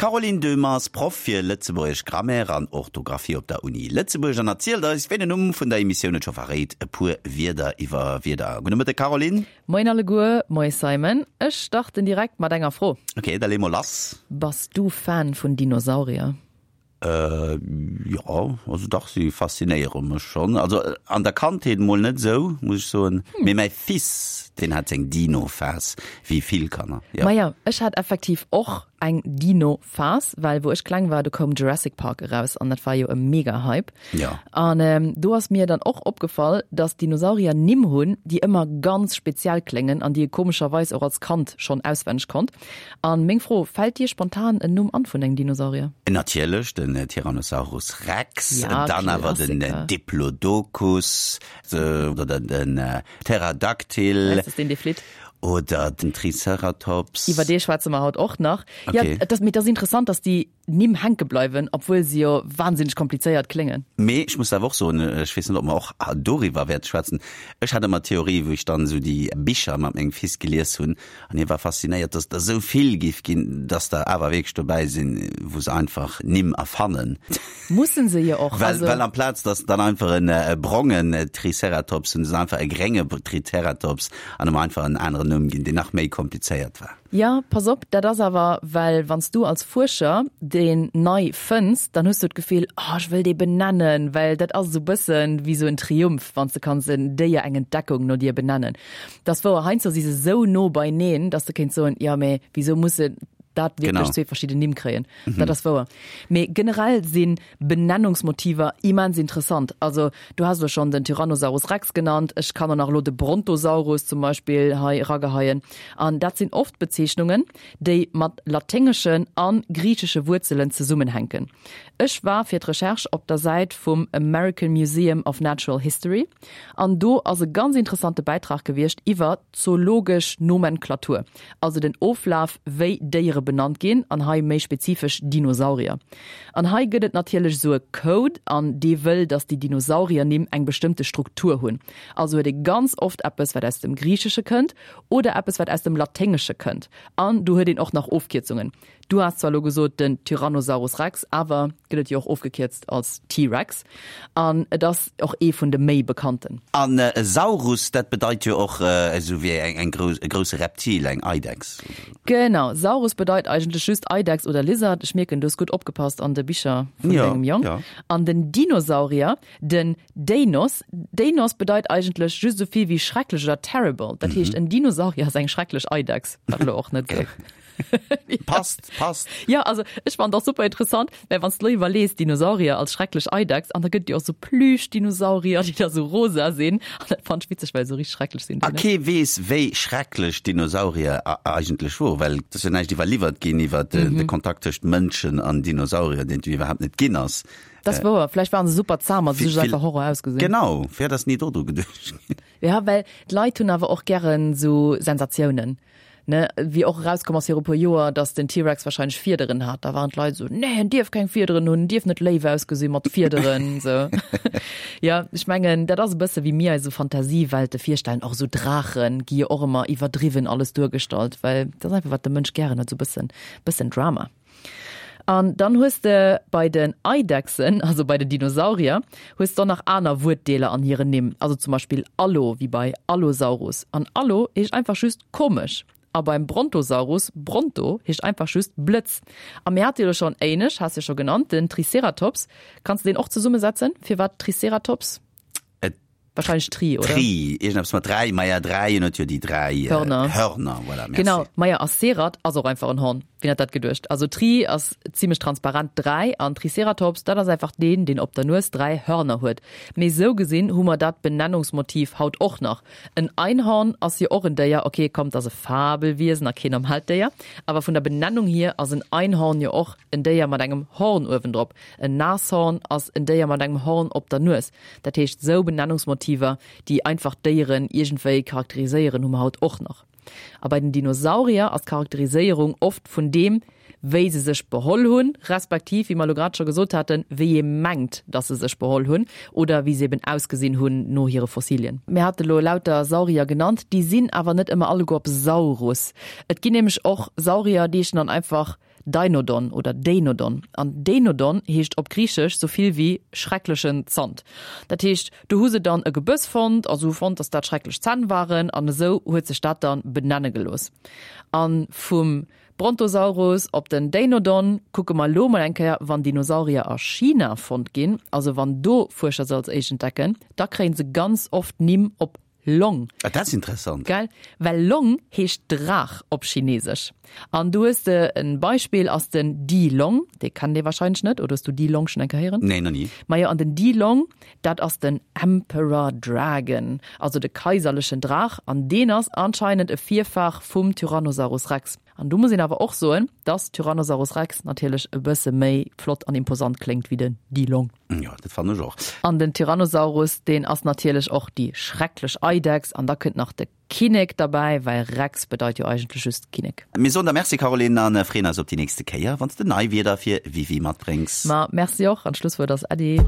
D'Caroline Döhmer ass Proff fir lëtzebuergesch Grammaire an Orthografie op der Uni Lëtzebuerg an erzielt eis, wéi den Numm vun der Emissioun et scho verréit, e puer Wierder iwwer Wierder. Gudde Mëtteg Caroline. Moien alleguer, moie Simon. Ech starten direkt mat enger Fro. Ok, da lee mol lass. Bass du Fan vun Dinosaurier? Jo, also dach, si faszinéiere mech schonn. Also an der Kandheet mol net esou, muss ech soen, mee mäi Fils, deen hat seng Dino-Phas, wéi vill Kanner, jo. Maja, ech hat effektiv och eng Dino-Phas, well wou ech kleng war, do koum Jurassic Park eraus an dat war jo e Mega-Hype. Jo. An do ass mir dann och opgefall, dass Dinosaurier Nimm hunn, déi ëmmer ganz speziell kléngen an déi ee komescherweis och als Kand schonn auswenneg konnt. An meng Fro, fällt dir spontan en Numm an vun engem Dinosaurier? Natierlech, den Tyrannosaurus Rex, ja, dann awer den Diplodocus oder den Pterodactyl. Das ist den, dee flitt. Oder den Triceratops. Iwwer dee schwätze mer haut och nach. Okay. Ja, dat, mee dat ass interessant, dass déi Nimm hänke bleiwen, obwuel se jo wahnsinneg komplizéiert kléngen. Mee ech muss awer och soen, ech weess net, ob mer och doriwwer wäerte schwätzen, ech hat ëmmer d'Theorie, wou ech dann esou déi Bicher mat mengem Fils gelies hunn, an hie war faszinéiert, dass et der esou vill giff ginn, dass der awer wierklech dobäi sinn, wou se einfach Nimm erfannen. Mussen se jo och. Well, well amplaz dass dann einfach en brongen Triceratops hunn se einfach e grénge Triceratops an em einfach en aneren Numm ginn, deen nach méi komplizéiert war. Jo, pass op, dat ass awer, well wann s du als Fuerscher deen nei fënns, dann hues du d'Gefill, oh, ech wëll dee benennen, well dat ass esou bëssen wéi esou en Triumph, wann s de kanns en Déier, eng Entdeckung no dir benennen. Dat ass wouer, heiansdo si se esou no beineen, dass de kéints soen, jo, mee wisou musse dat wierklech zwee verschidden Nimm kréien? Dat ass wouer. Mee generell si Benennungsmotiver immens interessant. Also du has elo schonn den Tyrannosaurus Rex genannt, ech kann och nach elo de Brontosaurus zum Beispill hei erageheien. An dat sinn oft Bezeechnungen, déi mat laténgeschen a griichesche Wuerzelen zesummenhänken. Ech war fir d'Recherche op der Säit vum American Museum of Natural History an do ass e ganz interessante Bäitrag gewiescht iwwer d'zoologesch Nomenklatur. Also den Oflaf wéi Déiere benannt ginn, an hei méi spezifesch Dinosaurier. An hei gëtt et natierlech esou e Code, an dee wëll, datt déi Dinosauriernimm eng bestëmmte Struktur hunn. Also huet ee ganz oft eppes wat aus dem Griichesche kënnt oder eppes wat aus dem Laténgesche kënnt. An do huet een och nach Ofkierzungen. Du has zwar elo gesot den Tyrannosaurus Rex, awer gëtt et jo och ofgekierzt als T-Rex an et ass och ee vun de méi bekannten. An Saurus, dat bedeit jo och esou wéi eng grouss, e grousse Reptil, eng Eidechs. Genau, Saurus bedeit eigentlech just Eidechs oder Lizard. Ech mierken, du hues gutt opgepasst an de Bicher vun dengem Jong. An den Dinosaurier, den Deinos, Deinos bedeit eigentlech just esou vill wéi schrecklech oder terrible. Dat heescht, en Dinosaurier ass eng schrecklech Eidechs, wat elo och net esou. Passt, passt. Ja, also ech fand och super interessant, well wann s de lo iwwerlees, Dinosaurier als schrecklech Eidechs, an da gëtt et jo och sou Plüschdinosaurier, déi da sou rosa sinn, an dat fand ech witzeg, well se sou richteg schrecklech sinn. A kee weess, wéi schrecklech d'Dinosaurier eigentlech woren, well et ass jo näischt iwwerliwwert ginn iwwer de Kontakt tëscht Mënschen an Dinosaurier, deen et jo iwwerhaapt net ginn ass. Dat ass wouer, vläicht waren se super zahm a se hu just einfach Horror ausgesinn. Genau, vläicht ass ni dodru geduecht ginn. Ja, well d'Leit hunn awer och gären sou Sensatiounen, ne? Wéi och erauskomm ass viru puer Joer, datt den T-Rex wahrscheinlech Fiederen hat, da waren d'Leit esou, nee, en dierf keng Fiederen hunn, en dierf net léif ausgesi mat Fiederen, sou. Ja, ech mengen, dat ass e bësse wéi mir eis esou Fantasiewelte virstellen. Och esou Draache gi jo och ëmmer iwwerdriwwen alles duergestallt, well dat ass einfach wat de Mënsch gären huet, esou bëssen, bëssen Drama. An dann hues de bei den Eidechsen, also bei den Dinosaurier, hues de och nach aner Wuertdeeler an hiren Nimm, also zum Beispill Allo, wéi bei Allosaurus. An Allo heescht einfach just komesch. A beim Brontosaurus, Bronto heescht einfach just Blëtz. A mir hate jo elo schonn éinescht, has jo scho genannt, den Triceratops. Kanns de deen och zesummesetzen? Firwat Triceratops? Et Wahrscheinlech Tri, oder? Tri, iergendeppes mat 3, maja 3, en huet jo déi 3 Hörner. Hörner, voilà, merci. Genau, maja a Cerat ass och einfach en Horn. Wien hätt dat geduecht? Also Tri ass zimlech transparent 3 an Triceratops, dat ass einfach deen, deen op der Nues 3 Hörner huet. Mee sou gesinn hu mer dat Benennungsmotiv haut och nach. En Einhorn ass jo och en Déier, ok, komm, 't ass e Fabelwiesen a keen normalt Déier, awer vun der Benennung hier ass en Einhorn jo och en Déier mat engem Horn uewendrop. En Nashorn ass en Déier mat engem Horn op der Nues. Dat heescht, sou Benennungsmotiver, déi einfach d'Déieren iergendwéi charakteriséieren, hu mer haut och nach. A bei den Dinosaurier ass d'Charakteriséierung oft vun deem, wéi se sech beholl hunn, respektiv, wéi mer elo grad scho gesot haten, wéi ee mengt, dass se sech beholl hunn oder wéi se eben ausgesinn hunn no hire Fossilien. Mir hate lo lauter Saurier genannt, déi sinn awer net ëmmer alleguer op Saurus. Et ginn nämlech och Saurier, déi heeschen dann einfach. Deinodon oder Deinodon. An Deinodon heescht op Griichesch sou vill wéi schrecklechen Zant. Dat heescht, do hu se dann e Gebëss fonnt a se hu fonnt, datt dat schrecklech Zänn waren an esou huet sech dat dann benenne gelooss. A vum Brontosaurus op den Deinodon kucke mer elo mol eng Kéier, wann Dinosaurier a China fonnt ginn, also wann do Fuerscher se als éischt entdecken, da kréie se ganz oft Nimm op Long. Ah, dat ass interessant. Gell? Well Long heescht Draach op Chinesesch. An do hues de en Beispill ass den Di Long, dee kennt ee wahrscheinlech net, oder hues du Di Long schonn eng Kéier héieren? Nee, nach ni. Majo, an den Di Long, dat ass den Emperor Dragon, also de kaiserlechen Draach, an deen ass anscheinend e Virfar vum Tyrannosaurus Rex. An do muss een awer och soen, dass Tyrannosaurus Rex natierlech e bësse méi flott an imposant kléngt wéi den Di Long. Jo, dat fannen ech och. An den Tyrannosaurus, deen ass natierlech och déi schrecklech Eidechs. An da kënnt nach de Kinnek derbäi, well Rex bedeit jo eigentlech just Kinnek. Mir soen der Merci, Caroline, a freeën eis op déi nächste Kéier, wann s de nei Wierder fir Wiwi matbréngs. Ma merci och, an d'Schlusswuert ass Äddi.